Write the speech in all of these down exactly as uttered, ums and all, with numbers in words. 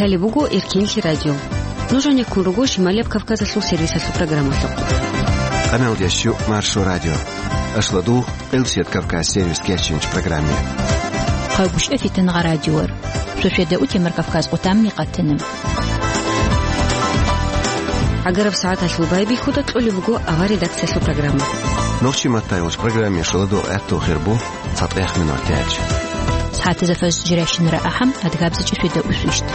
Гьале буго Эркенлъи радио. Нуж гьанеккун руго Шималияб Кавказалъул сервисалъул программалъухъ. Къаналдеш щук Маршо радио. Ашладу Къилсият Кавказ сервис кечинч программе. Хъайгуща фитангъа радиор. Шошеда утемар Кавказ къутамми къатана. Агараб сагӀаталъул байбихьуда кьолеб буго авар редакциялъул программа. Нохчи маттайгъулч программе шаладу гӀатту хирбу. ЦатӀех минут тяч. СагӀатазда фаз жирашинра ахӀам, адгабза чӀушида усвищт.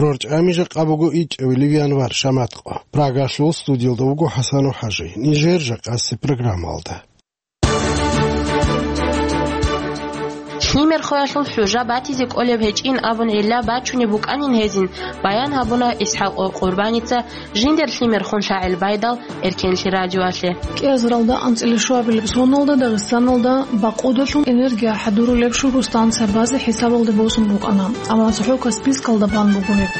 Рорча амижа къабуго ичӀавилив январ шаматкъо. Прагалъул студиялда вуго ХӀасану ХӀажи. Нижер жакъаси программалда. Лъимер хвеялъул хӀужа батизе кӀолеб гьечӀин абун гӀилла бачунеб букӀанин гьезин, баян гьабуна ИсхӀакъ Къурбаница, жиндер лъимер хун шагӀил байдал, Эркенлъи радиоялъе. КӀиазаралда анцӀила щуабилеб соналда Дагъистаналда бакъудалъун энергия хӀадурулеб шугу станция базе хӀисабалде босун букӀана, амма цохӀо Каспийскалда бан буго гьеб.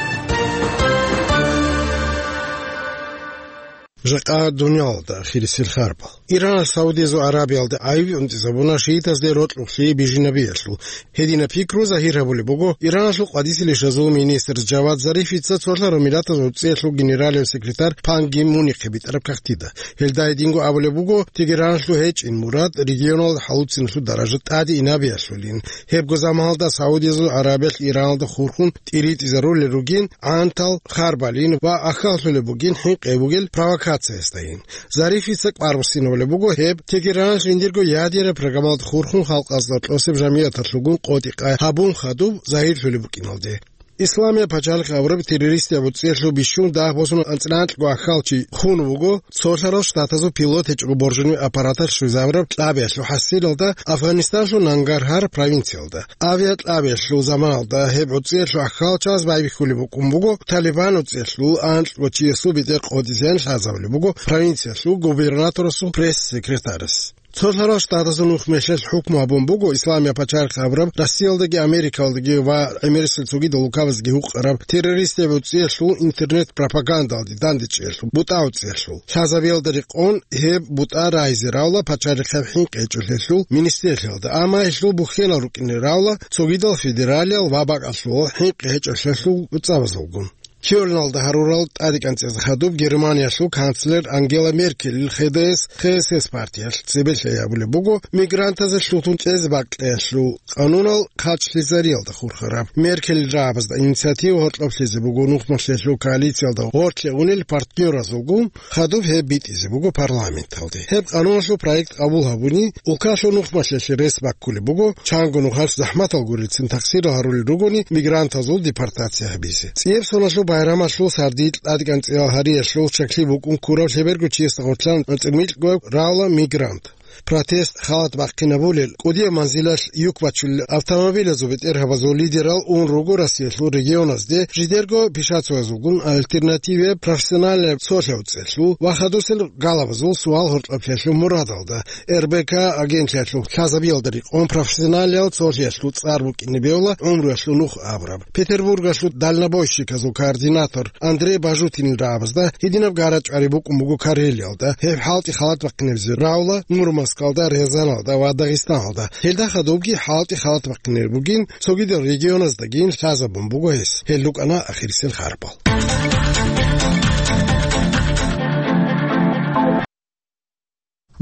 Жакъа дуниялалда ахирисел харбал. Иранас Саудиязул Арабиялда гӀайиб унтӀизабуна шиитазде рокьулъи бижинабиялъул. Гьединаб пикру загьир гьабулеб буго Ираналъул къвадисел ишазул министр Жавад Зарифица Цолъарав Миллатазул ГӀуцӀиялъул генералияб секретарь Пан Ги Мунихъе битӀараб кагътида. Гьелда гьединго абулеб буго, Тегераналъул гьечӀин мурад регионалда хӀалуцинлъул даража тӀаде инабиялъулин. Гьебго заманалда Саудиязул Арабиялъ Ираналда хурхун тӀиритӀизарулел ругин гӀантал, харбалин ва ахьаллъулеб бугин хӀинкъи бугел провокациясдайин. Зарифица кӀвар буссинабулеб буго гьеб Тегераналъ жиндирго ядераб программалда хурхун халкъазда кьосеб жамигӀаталъулгун къотӀи-къай гьабун хадуб загьирлъулеб букӀиналде. Исламияб пачалихъ абураб террористияб гӀуцӀиялъул бищун дагь босун анцӀила анкьго ахьалчи хун вуго Цолъарал Штатазул пилот гьечӀого боржунив аппараталъ щвезабураб кьабиялъул хӀасилалда Афганистанлъул Нангаргьар провинциялда. Авиакьабиялъул заманалда гьеб гӀуцӀиялъул ахьалчаз байбихьулеб букӀун буго Талибан гӀуцӀиялъул анкьго чиясул бетӀер къотӀизеян лъазабулеб буго провинциялъул губернаторасул пресс-секретарас. Цолъарал Штатазул нухмелъелъ хӀукму гьабун буго Исламияб пачалихъ абураб Россиялдаги Америкалдаги ва гӀемерисел цогидал улкабазги гьукъараб террористияб гӀуцӀиялъул интернет-пропагандалде дандечӀеялъул бутӀа гӀуцӀиялъул. Лъазабиялда рекъон гьеб бутӀа рагьизе равла пачалихъеб хӀинкъи гьечӀолъиялъул министралъиялда, амма гьелъул бухьенал рукӀине равла цогидал федералиял ва бакӀалъул хӀинкъи гьечӀолъиялъул цӀабазулгун. Кёльналда гьарурал тӀадекӀанцӀизе хадуб Германиялъул канцлер Ангела Меркелил Х Д С, Х С С партиялъ цебе лъай гьабулеб буго мигрантазе лъутун кьезе бакӀиялъул къанунал хъачлъизариялда хурхараб. Меркелил рагӀабазда инициатива гьоркьоб лъезе буго нухмалъиялъул коалициялда гъорлъе унел партнёразулгун, хадуб гьеб битӀизе буго парламенталде. Гьеб къануналъул проект къабул гьабуни, улкалъул нухмалъиялъе рес баккулеб буго, чанго нухалъ захӀматал гурелцин тахсирал гьарулел ругони мигрантазул депортация гьабизе. ЦӀияб соналъул байрамалъул сардилъ тӀадекӀанцӀиял гьариялъул чаклъи букӀун ккурав лъеберго чиясда гъоркьан анцӀила микьго равла мигрант. Протест, халат бахъинабулел, кӀудияб манзилалъ юк бачулел автомобилазул бетӀергьабазул лидерал ун руго Россиялъул регионазде жидерго пишацоязулгун альтернативияб профессиональный цолъи гӀуцӀиялъул ва хадусел галабазул суал гьоркьоблъиялъул мурадалда. Р Б К агентлъиялъул лъазабиялда рекъон профессионалиял цолъиялъул цӀар букӀине бегьула гӀумруялъул нух абураб. Петербургалъул дальнобойщиказул координатор Андрей Бажутинил рагӀабазда гьединаб гара-чӀвари букӀун буго Карелиялда, гьеб хӀалтӀи халат бахъинабизе равла Мурманскалда, Рязаналда ва Дагъистаналда. Гьелда хадубги хӀалтӀи халат бахъинаб бугин, цогидал регионаздагин лъазабун буго гьес. Гьел рукӀана ахирисел харбал.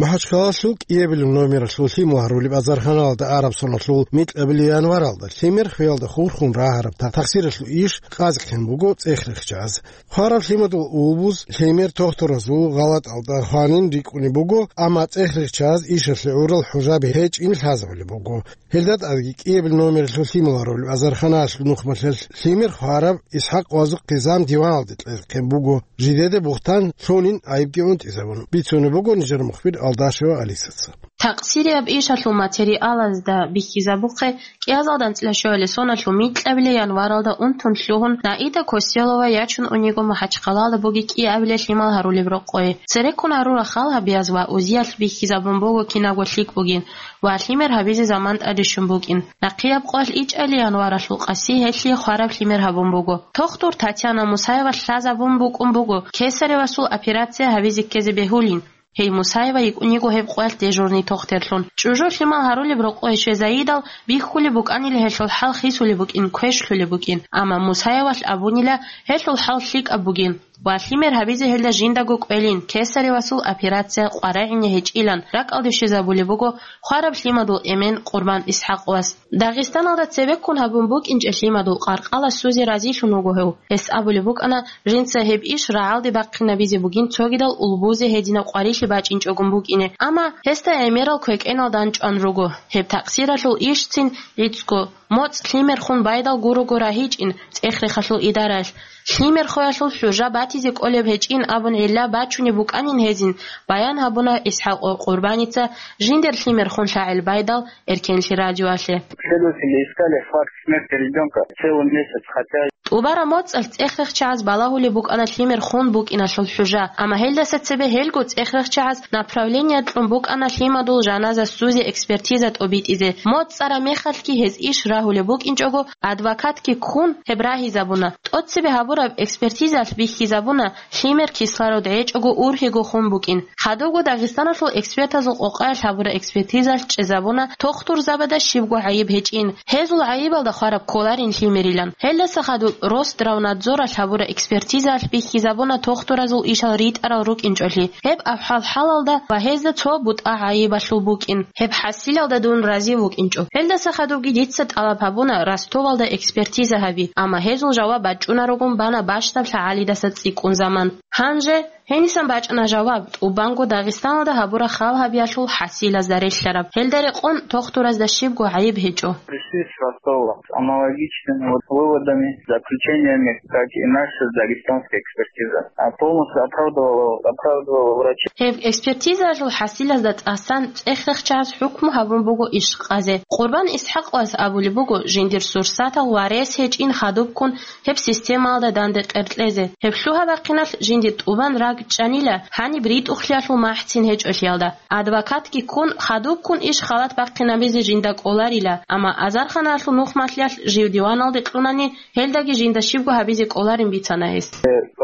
МахӀачхъалалъул кӀиабилеб номералъул лъимал гьарулеб азарханалда араб соналъул микьабилеб январалда лъимер хвеялда хурхун рагьараб та-, тахсиралъул иш къазихъин буго цӀех рихчаз. Хвараб лъимадул улбуз лъимер тохтуразул гъалатӀалда хванин рикӀкӀунеб буго, амма цӀех рихчаз ишалъе гӀурал хӀужаби гьечӀин лъазабулеб буго. Гьелда тӀадги кӀиабилеб номералъул лъимал гьарулеб азарханалъул нухмалъиялъ лъимер хвараб ИсхӀакъ Вазухъ Къизам диваналде кьекъин буго, жидеда бугьтан лъунин гӀайибги унтӀизабун, бицунеб буго нижер мухбир Алдашева Алисаца. Такъсирияб ишалъул материалазда бихьизабухъе, кӀиазалда анцӀила щуабилеб соналъул микьабилеб январалда унтун лъугьун, Наида Коселова ячун униго МахӀачхъалалда бугеб кӀиабилеб лъимал гьарулеб рокъое. Цереккун гьарурал хал гьабияз ва узиялъ бихьизабун буго кинабго лъикӀ бугин ва лъимер гьабизе заман тӀаде щун букӀин. Нахъияб къоялъ ичӀабилеб январалъул къаси гьелъие хвараб лъимер гьабун буго. Тохтур Татьяна Мусаева лъазабун букӀун буго, кесаревасул операция гьабизе ккезе бегьулин. Гьей Мусаева йикӀун йиго гьеб къоялъ дежурный тохтерлъун. ЧӀужу лъимал гьарулеб рокъове щвезайидал, бихьулеб букӀанила гьелъул хӀал хисулеб букӀин, квешлъулеб букӀин. Амма Мусаевалъ абунила гьелъул хӀал лъикӀаб бугин ва лъимер гьабизе гьелда жиндаго кӀвелин, кесаревасул операция къваригӀине гьечӀилан ракӀалде щвезабулеб буго хвараб лъимадул эмен Къурбан ИсхӀакъовас. Дагъистаналда цебеккун гьабун букӀинчӀеб лъимадул къаркъала сузе разилъун вуго гьев. Гьес абулеб букӀана, жинца гьеб иш рагӀалде бахъинабизе бугин цогидал улбузе гьединаб къварилъи бачӀинчӀогун букӀине, амма гьесда гӀемерал квекӀенал данчӀван руго. Гьеб такъсиралъул ишцин гӀицӀго моцӀ лъимер хун байдал гурого рагьичӀин цӀех-рехалъул идараялъ. Лъимер хвеялъул хӀужа батизе кӀолеб гьечӀин абун гӀилла бачунеб букӀанин гьезин, баян гьабуна ИсхӀакъов Къурбаница жиндир лъимер хун лъагӀел байдал Эркенлъи радиоялъе. Следователи искали факт смерти ребёнка целый месяц, хотя... ТӀубараб моцӀалъ цӀех-рехчагӀаз балагьулеб букӀана лъимер хун букӀиналъул хӀужа, амма гьелдаса цебе гьелго цӀех-рехчагӀаз направление кьун букӀана лъимадул жаназа сузе экспертиза тӀобитӀизе. МоцӀ цӀараб мехалъги гьез иш рагьулеб букӀинчӀого, адвокатги ккун гьеб рагьизабуна. ТӀоцебе гьабураб экспертизалъ бихьизабуна, лъимер кислород гьечӀого ургьиго хун букӀин. Хадубго Дагъистаналъул экспертазул къокъаялъ гьабураб экспертизалъ чӀезабуна тохтурзабазда щибго гӀайиб гьечӀин, гьезул гӀайибалда хвараб кколарин лъимерилан. Гьелдаса хадуб Росздравнадзоралъ гьабураб экспертизалъ бихьизабуна тохтуразул ишал ритӀарал рукӀинчӀолъи. Гьеб авхӀал-хӀалалда ва гьезда цо бутӀа гӀайибалъул букӀин. Гьеб хӀасилалда дун разив вукӀинчӀо. Гьелдаса хадубги дица тӀалаб гьабуна Ростовалда экспертиза гьаби, амма гьезул жаваб бачӀунарогун бана бащдаб лъагӀалидаса цӀикӀкӀун заман. Гьанже гьенисан бачӀана жаваб, тӀубанго Дагъистаналда гьабураб хал гьабиялъул хӀасилазда релълъараб. Гьелда рекъон тохтуразда щибго гӀайиб гьечӀо. Пришли с Ростова с аналогичными вот выводами, заключениями, как и наша дагестанская экспертиза. А полностью оправдывала, оправдывала врачей. Гьеб экспертизаялъул хӀасилазда тӀасан цӀех-рехчагӀаз хӀукму гьабун буго иш къазе. Къурбан ИсхӀакъовас абулеб буго, жиндир сурсатал ва рес гьечӀин хадубккун гьеб системаялда данде къеркьезе. Гьеб лъугьа-бахъиналъ жиндир тӀубан ракӀчӀанила, гьаниб ритӀухълъиялъул махӀцин гьечӀолъиялда. Адвокатги ккун, хадубккун иш халат бахъинабизе жинда кӀоларила, амма азарханалъул нухмалъиялъ жив диваналде кьунани, гьелдаги жинда щибго гьабизе кӀоларин бицана гьес.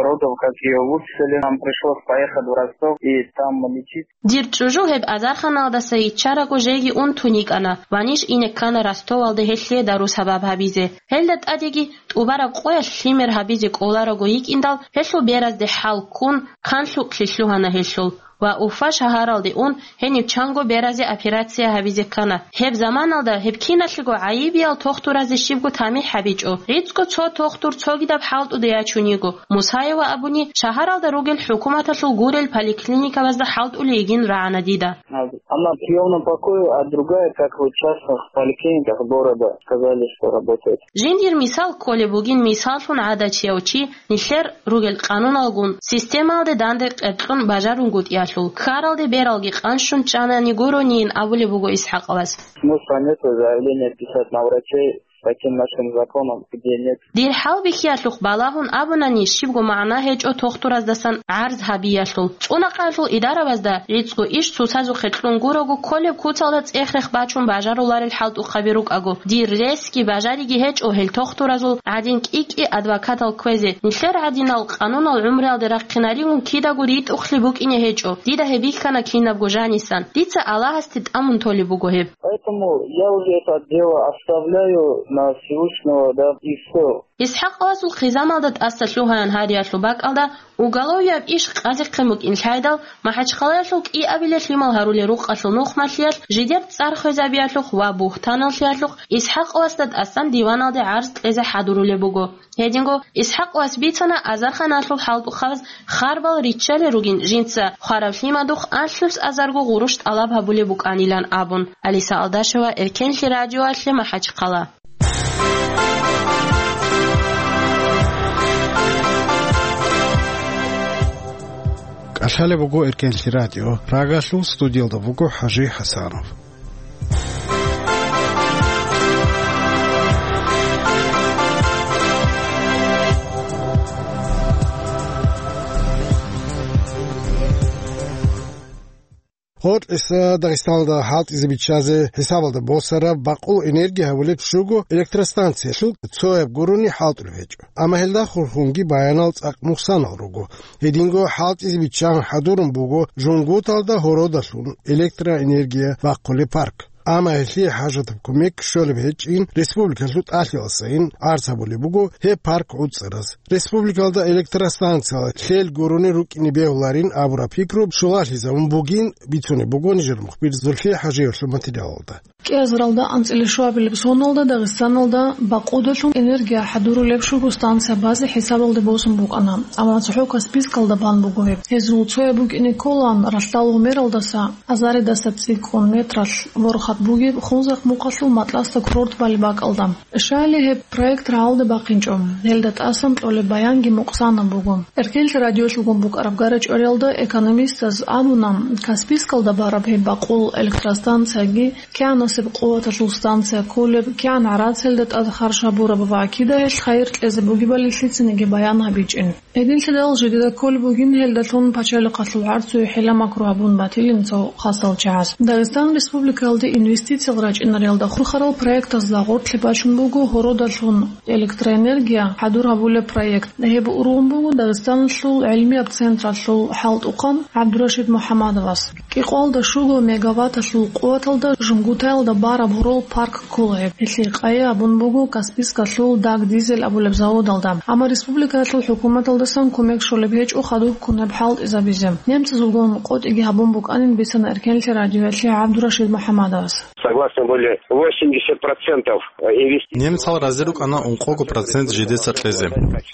Родов, как её выписали, нам пришлось поехать в Ростов и там лечить. Дир чӀужу гьеб азарханалдаса йиччараго жеги ун тун йикӀана ва ниж ине ккана Ростовалде гьелъие дару-сабаб гьабизе. Гьелда тӀадеги тӀубараб къоялъ лъимер гьабизе кӀолараго йикӀиндал, гьелъул беразде хӀал ккун, канлъукълъи лъугьана гьелъул ва Уфа шагьаралде ун, гьенив чанго беразе операция гьабизе ккана. Гьеб заманалда гьеб киналъего гӀайибиял тохтуразе щибго тамихӀ гьабичӀо. ГӀицӀго цо тохтур цогидаб хӀалтӀуде ячун йиго. Мусаева абуни, шагьаралда ругел хӀукуматалъул гурел поликлиникабазда хӀалтӀулей йигин рагӀана дида. Одна в приёмном покое, а другая, как вот в частных поликлиниках города, сказали, что работает. Жиндир мисал кколеб бугин мисаллъун гӀадачияв чи, нилъер ругел къануналгун, системалде данде къеркьун бажарунгутӀиялъул, ккаралде бералги къанщун чӀанани гуронийин абулеб буго ИсхӀакъовас. Смысла нету заявление писать на врачей с таким нашим законом, где нет. Дир хӀалбихьиялъухъ балагьун абунани, щибго магӀна гьечӀо тохтураздасан гӀарз гьабиялъул. ЦӀунахъаялъул идаравазда гӀицӀго иш цоцазухъе кьун гурого кколеб куцалда цӀех-рех бачун бажаруларел хӀалтӀухъаби рукӀаго, дир ресги бажариги гьечӀо гьел тохтуразул гӀадин кӀи-кӀи адвокатал кквезе. Нилъер гӀадинал къанунал гӀумруялде рахъинаригун кидаго ритӀухълъи букӀине гьечӀо. Дида гьеб бихьана кинабго жанисан. Дица Аллагьасде тӀамун толеб буго гьеб. Поэтому я уже это дело оставляю на Всевышнего, да, и всё. ИсхӀакъовасул хъизамалда тӀаса лъугьаян гьариялъул бакӀалда уголовияб иш къазихъе букӀин лъайдал, МахӀачхъалаялъул кӀиабилеб лъимал гьарулел рукъалъул нухмалъиялъ жидер цӀар хвезабиялъухъ ва бугьтаналлъиялъухъ ИсхӀакъовасда тӀасан диваналде гӀарз кьезе хӀадурулеб буго. Гьединго ИсхӀакъовас бицана азарханалъул хӀалтӀухъабаз харбал риччалел ругин жинца хвараб лъимадухъ анлънус азарго гъурущ тӀалаб гьабулеб букӀанилан абун. Алиса Алдашева, Эркенлъи радиоялъе, МахӀачхъала. КӀалъалеб буго Эркенлъи радио. Прагалъул студиялда буго ХӀажи ХӀасанов. Гьоркьоса Дагъистаналда хӀалтӀизе биччазе хӀисабалда босараб бакъул энергия гьабулеб щуго электростанциялъул цояб гурони хӀалтӀулеб гьечӀо. Амма гьелда хурхунги баянал цӀакъ мухсанал руго. Гьединго хӀалтӀизе биччан хӀадурун буго Жунгуталда гьородалъун электроэнергия бахъулеб парк. Амма гьелъие хӀажатаб кумек щолеб гьечӀин республикалъул тӀалъиласайин гӀарз гьабулеб буго гьеб парк гӀуцӀараз. Республикалда электростанциялъ лъел гурони рукӀине бегьуларин абураб пикру щулалъизабун бугин бицунеб буго нижер мухбир Зульфия ХӀажиевлъул материалалда. КӀиазаралда анцӀила щуабилеб соналда Дагъистаналда бакъудалъун энергия хӀадурулеб щуго станция базе хӀисабалде босун букӀана, амма цохӀо Каспийскалда бан буго гьеб. Гьезул цояб букӀине кколаан ралъдал гьумералдаса, азаридаса цӀикӀкӀун метралъ ворхат бугеб Хунзахъ мухъалъул Матласта курорт балеб бакӀалда. Щайили гьеб проект рагӀалде бахъинчӀо, гьелда тӀасан кьолеб баянги мукъсанаб буго. Эркенлъи радиолъулгун букӀараб гара-чӀвариялда экономистаз абуна, Каспийскалда бараб гьеб бакъул электростанцияги, кигӀанасеб къуваталъул станция кколеб, кигӀан гӀарацалда тӀад харж гьабураб ва кида гьелъ хайир кьезе бугебали лъицаниги баян гьабичӀин. Гьединлъидал жидеда кколеб бугин гьелдалъун пачалихъалъул гӀарцуе хӀила-макру гьабун батилин цо хасал чагӀаз. Дагъистан Республикаялде инвестициял рачӀинариялда хурхарал проектазда гъорлъе бачун буго гьородалъун электроэнергия хӀадур гьабулеб проект. Гьеб ургъун буго Дагъистаналъул гӀилмияб централъул хӀалтӀухъан ГӀабдурашид МухӀаммадовас. КӀикъоялда щуго мегаватталъул къуваталда Жунгутаялда бараб гьорол парк ккола гьеб. Гьелъие къайи абун буго Каспийскалъул Даг дизель абулеб заводалда. Амма республикаялъул хӀукуматалдасан кумек щолеб гьечӀо хадуб кунеб хӀалтӀизабизе. Немцазулгун къотӀиги гьабун букӀанин бицана Эркенлъи радиоялъе ГӀабдурашид МухӀаммадовас. Согласно были восемьдесят процентов инвестиций. Немцал рази рукӀана ункъого процент жидеца кьезе.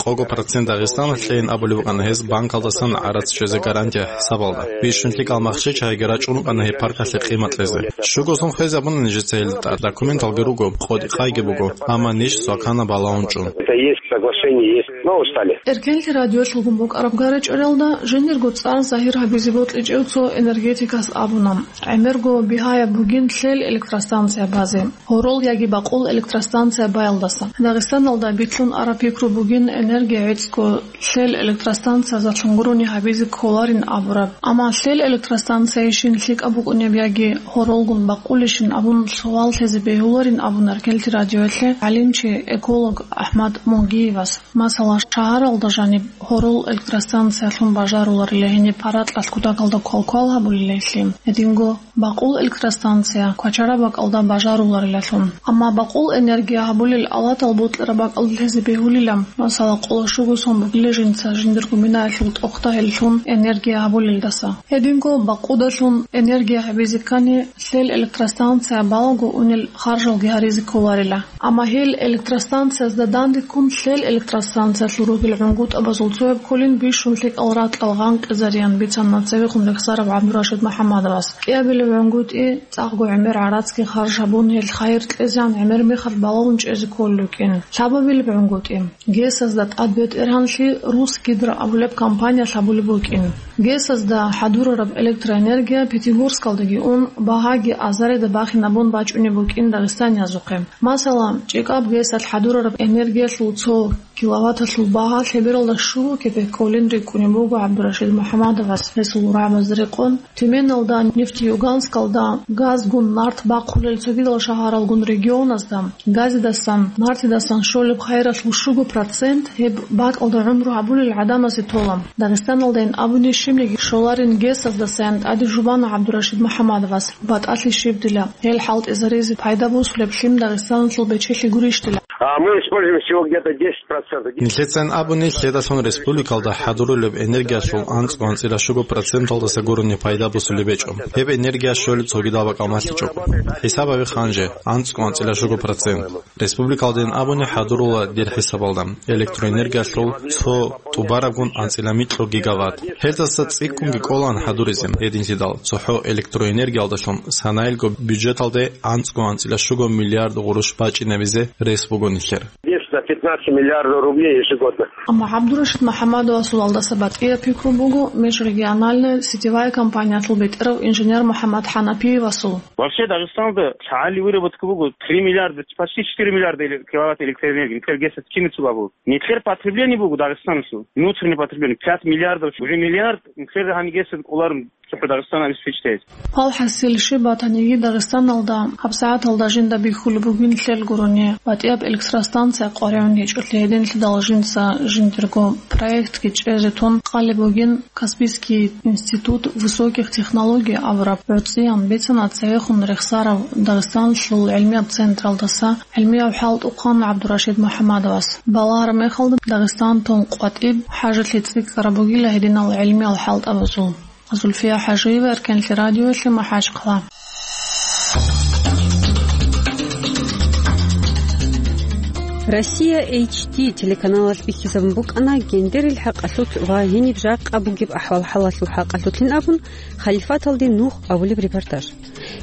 Къого процент Дагъистаналъ кьейин абулеб букӀана гьез банкалдасан гӀарац чӀезе гарантия хӀисабалда. Бищун лъикӀал махщел-чагӀиги рачӀун рукӀана гьеб паркалъе къимат кьезе. Щуго сон хвезабуна нижеца гьелда тӀад, документалги руго, къотӀи-къайги буго, амма ниж свакана балагьун чӀун. Это есть соглашение, есть. Но устали. Эркенлъи радиолъулгун букӀараб гара-чӀвариялда жиндирго цӀар загьир гьабизе бокьичӀев цо энергетикас абуна, гӀемерго бигьаяб бугин лъел электростанция базе, гьорол яги бакъул электростанция баялдаса. Дагъистаналда битлъун араб пикру бугин энергия гӀицӀго лъел электростанциязалъун гурони гьабизе кколарин абураб. Амма лъел электростанциялъейищин лъикӀаб букӀунеб яги гьоролгун бакъулищин абун суал лъезе бегьуларин абуна Эркенлъи радиоялъе гӀалимчи, эколог АхӀмад Мугиевас. Масала, шагьаралда жаниб гьорол электростанциялъун бажаруларила гьениб паракьалъ кутакалда квалквал гьабулилалъе, гьединго бакъул электростанция квачараб бакӀалда бажаруларилалъун. Амма бакъул энергия гьабулел алатал бокьараб бакӀалда лъезе бегьулила, масала, къоло щуго сон бугила жинца жиндирго минаялъул тӀохда гьеллъун энергия гьабулелдаса. Гьединго бакъудалъун энергия гьабизе ккани, лъел электростанция балаго унел харжалги гьаризе кколарила. Амма гьел электростанциязда дандеккун лъел электростанциялъул ругел гӀунгутӀабазул цояб кколин бищун лъикӀал ракьал гъанкъизариан бицана цевехъун рехсарав ГӀабдурашид МухӀаммадовас. КӀиабилеб гӀунгутӀи, цӀакъго гӀемер гӀарацги харж гьабун, гьел хайир кьезегӀан гӀемер мехалъ балагьун чӀезе кколел рукӀин. Лъабабилеб гӀунгутӀи, ГЭС-азда тӀад бетӀергьанлъи Русгидро абулеб компаниялъ гьабулеб букӀин. ГЭС-азда хӀадурараб электроэнергия Пятигорскалдаги ун, багьаги азарида бахинабун бачӀунеб букӀин дагъистаниязухъе. Масала, ЧӀикӀаб ГЭС-алъ хӀадурараб энергиялъул цо киловатталъул багьа лъебералда щуго кепек кколин рикӀкӀунеб буго ГӀабдурашид МухӀаммадовас гьесул рагӀабазда рекъон, Тюменалда, Нефтеюганскалда, газгун нарт бахъулел цогидал шагьаралгун регионазда газидасан, нартидасан щолеб хайиралъул щуго процент гьеб бакӀалда гӀумру гьабулел гӀадамазе тола. Дагъистаналдайин абуни щибниги щоларин ГЭС-аздасаян тӀаде жубана ГӀабдурашид МухӀаммадовас. БатӀалъи щибдила, гьел хӀалтӀизаризе пайда босулеб лъим Дагъистаналъул бечелъи гурищ дила. А мы используем всего где-то десять процентов. Нилъецайин абуни, лъедалъун республикалда хӀадурулеб энергиялъул анцӀго анцӀила щуго проценталдаса гурони пайда босулеб гьечӀо. Гьеб энергия щолеб цогидал бакӀалмалъичӀого. ХӀисаб гьабе ханже, анцӀго анцӀила щуго процент. Республикалдайин абуни хӀадурула дир хӀисабалда, электроэнергиялъул цо тӀубарабгун анцӀила микьго гигаватт. Гьелдаса цӀикӀкӀунги кӀолаан хӀадуризе, гьединлъидал цохӀо электроэнергиялдалъун санаялго бюджеталде анцӀго анцӀила щуго миллиард гъурущ бачӀинабизе рес буго нилъер. За пятнадцать миллиардов рублей ежегодно. Амма ГӀабдурашид МухӀаммадовасул алдаса батӀияб пикру буго межрегиональная сетевая компаниялъул бетӀерав инженер МухӀаммад ХӀанафиевасул. Вообще, Дагъистаналда лъагӀалил выработка буго три миллиарда, почти четыре миллиарда эле-, киловатт электроэнергии, нилъер ГЭС-ацин киницаго абула. Нилъер потребление буго Дагъистаналъул, внутреннее потребление, пять миллиардов, уже миллиард нилъер гьанигеса кӀоларун цохӀо Дагъистан обеспечить гьез. Гьал хӀасил щиб батаниги, Дагъистаналда гьабсагӀаталда жинда бихьулеб бугин лъел гурони, батӀияб электростанция къваригӀун гьечӀолъи гьединлъидал жинца жиндирго проектги чӀезе тун къалеб бугин. Каспийский институт высоких технологий абураб гӀуцӀиян бицана цевехун рехсарав Дагъистаналъул гӀилмияб централдаса гӀилмияв хӀалтӀухъан ГӀабдурашид МухӀаммадовас. Балагьараб мехалда Дагъистан тун къватӀиб хӀажалъи цӀикӀкӀараб бугила гьединал гӀилмиял хӀалтӀабазул. Зульфия ХӀажиева, Эркенлъи радиоялъе, МахӀачхъала. Россия H D телеканалалъ бихьизабун букӀана гендерил хӀакъалъулъ ва гьениб жакъа бугеб ахӀвал-хӀалалъул хӀакъалъулъин абун, Халифаталде нух абулеб репортаж.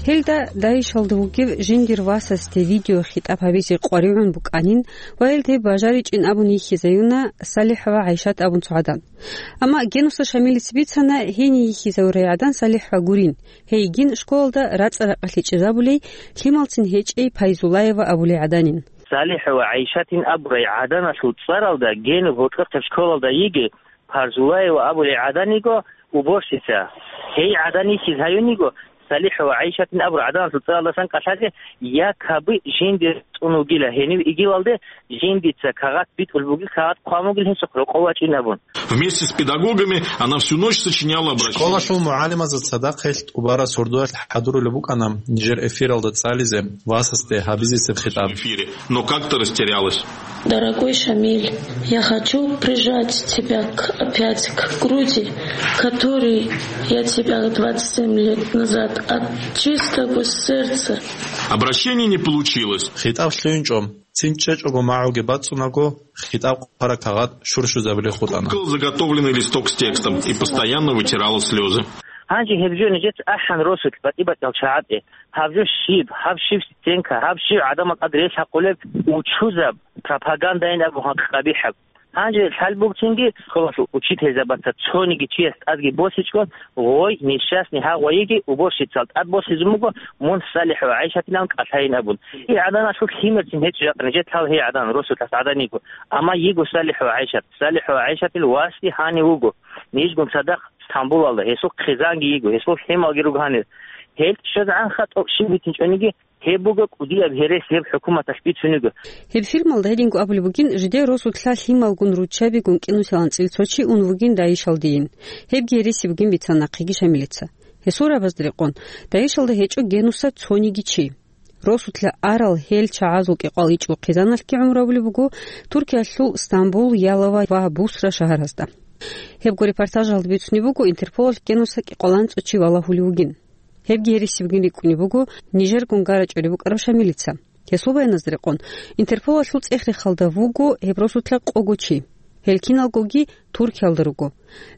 Гьелда ДАИШалда вугев жиндир васасде видеохитӀаб гьабизе къваригӀун букӀанин ва гьелде бажаричӀин абун йихьизаюна СалихӀова ГӀайшат абун цо гӀадан. Амма Генуса Шамилица бицана, гьение йихьизавурай гӀадан СалихӀова гурин, гьейгин школалда рацӀа-ракъалъе чӀезабулей, лъималцин гьечӀей Пайзулаева абулей гӀаданин. СалихӀова ГӀайшатин абурай гӀаданалъул цӀаралда Генур гьоркьохъеб школалда йиги, Пайзулаева абулей гӀадан йиго уборщица. Гьей гӀадан йихьиз гьаюн йиго, СалихӀова ГӀайшатин абурай гӀаданалъул цӀаралдасан кӀалъазе, якобы жинде цӀун вугила, гьенив игилалде жиндица кагъат битӀулеб бугил, кагъат хъван бугил гьесухъ рокъов вачӀин абун. Вместе с педагогами она всю ночь сочиняла обращение. Школалъул мугӀалимазда цадахъ гьелъ тӀубараб сордоялъ хӀадурулеб букӀана нижер эфиралда цӀализе васасде гьабизесеб хитӀаб. В эфире, но как-то растерялась. Дорогой Шамиль, я хочу прижать тебя к, опять к груди, которой я тебя двадцать семь лет назад от чистого сердца. Обращение не получилось. ХитӀаб лъугӀинчӀо. Цин чӀечӀого магӀуги бацӀцӀунаго, хитӀаб хъвараб кагъат щурщузабулей хутӀана. Кукол заготовленный листок с текстом и постоянно вытирала слезы. Гьанже гьеб жо нижеца ахӀан росулъ батӀи-батӀиял чагӀазде. Гьаб жо щиб, гьаб щиб стенка, гьаб щиб гӀадамал тӀад релъ гьабулеб учузаб пропагандайин абун гьакъ къабихӀаб. Гьанже лъалбугцинги школалъул учительзабаца цониги чияс тӀадги босичӀого, гъой, несчастный гьагъвайиги уборщицал тӀад босизун буго, мун СалихӀова ГӀайшатилан кӀалъайин абун. Гьей гӀаданалъул лъимерцин гьечӀо жакъа нижетлъал гьей гӀадан, росулъас гӀадан йиго. Амма йиго СалихӀова ГӀайшат. СалихӀова ГӀайшатил васги гьанив вуго. Нижгун цадахъ Стамбулалда, гьесул хъизанги йиго, гьесул лъималги руго гьанир. Гьел щвезегӀанха тӀокӀ щиб битинчӀониги, гьеб буго кӀудияб гьересияб хӀукуматалъ бицунего. Гьеб фильмалда гьединго абулеб бугин, жидер росулъа лъималгун руччабигун кӀинусилан цӀил цо чи ун вугин ДАИШалдейин. Гьебги гьереси бугин бицана нахъеги Шамилица. Гьесул рагӀабазда рекъон, ДАИШалда гьечӀо Генуса цониги чи. Росулъа арал гьел чагӀазул кӀикъвал ичӀго хъизаналъги гӀумру гьабулеб буго Туркиялъул Стамбул, Ялова ва Бусра шагьаразда. Гьебго репортажалда бицунеб буго, Интерполалъ Генуса кӀикъваланцӀо чи валагьулев вугин. Гьебги гьереси бугин рикӀкӀунеб буго нижер гунгарачӀолеб букӀараб Шамилица. Гьесул баяназда рекъон, Интерполалъул цӀех-рехалда вуго гьеб росулъа къого чи. Гьел киналгоги Туркиялда руго.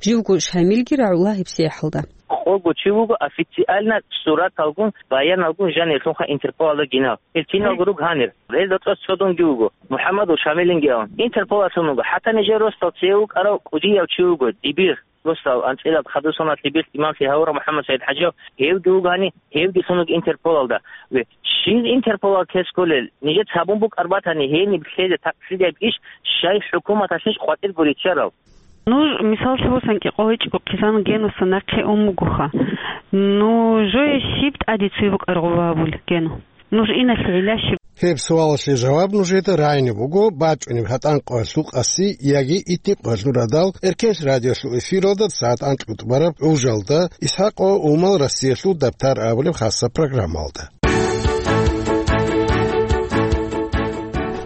Живго Шамилги рагӀула гьебсагӀаталда. Къого чи вуго официально сураталгун, баяналгун жанирлъунха Интерполалда гинал. Гьел киналго руго гьанир. Гьелда цо-, цо дунги вуго, МухӀаммадул Шамилинги абун. Интерполалъун вуго. ХӀатта нижер росдал цеве вукӀарав кӀудияв чи вуго, дибир. Росдал анцӀила хадусана лъеберс имамлъи гьавурав МухӀаммад СагӀид ХӀажияв, гьевги вугани, гьевги лъун вуго Интерполалда. Ве, щив Интерполалъ кколел, нижеца гьабун букӀар батани, гьениб лъезе такълъидияб иш, щай хӀукуматалъищ къватӀирго риччарал? Нуж, мисаллъи босани, кӀикъвал ичӀго хъизан Генуса нахъе ун бугоха. Нужее щиб тӀаде цуе букӀаргъуба абулеб, Гену? Нуж иналъе гӀилла щиб? Гьеб суалалъе жаваб нужеда рагӀине буго бачӀунеб гьатӀан къоялъул къаси яги итни къоялъул радал Эркенлъи радиолъул эфиралда сагӀат анкьго тӀубараб гӀужалда, ИсхӀакъ ва Умал Россиялъул дабтар абулеб хасаб программалда.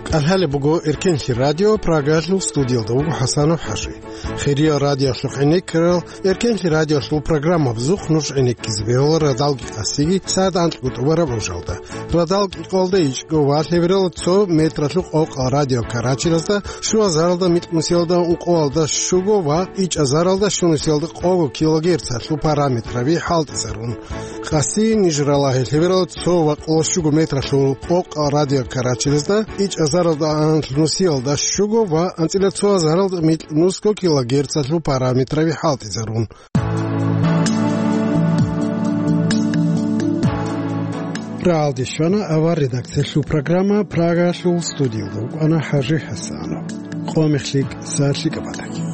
КӀалъалеб буго Эркенлъи радио, Прагалъул студиялда вуго ХӀасанов ХӀажи. Хириял радиолъухъ гӀенеккарал, Эркенлъи радиолъул программабазухъ нуж гӀенеккизе бегьула радалги къасиги сагӀат анкьго тӀубараб гӀужалда. Радал кӀикъвалда ичӀго ва лъеберал цо метралъухъ къокъал радиокарачелазда, щуазаралда микьнусиялда ункъоялда щуго ва ичӀазаралда щунусиялда къого килогерцалъул параметраби хӀалтӀизарун. Къаси ниж ралагье лъеберал цо ва къоло щуго метралъухъ къокъал радиокарачелазда, ичӀазар Нусиялда щуго ва анцӀила цо азаралда микь нусго килогерцалъул параметраби хӀалтӀизарун. Рагьалде щвана авар редакциялъул программа, Прагалъул студиялда вукӀана ХӀажи ХӀасанов. Къо мехлъи, сагӀат лъикӀаб батаги.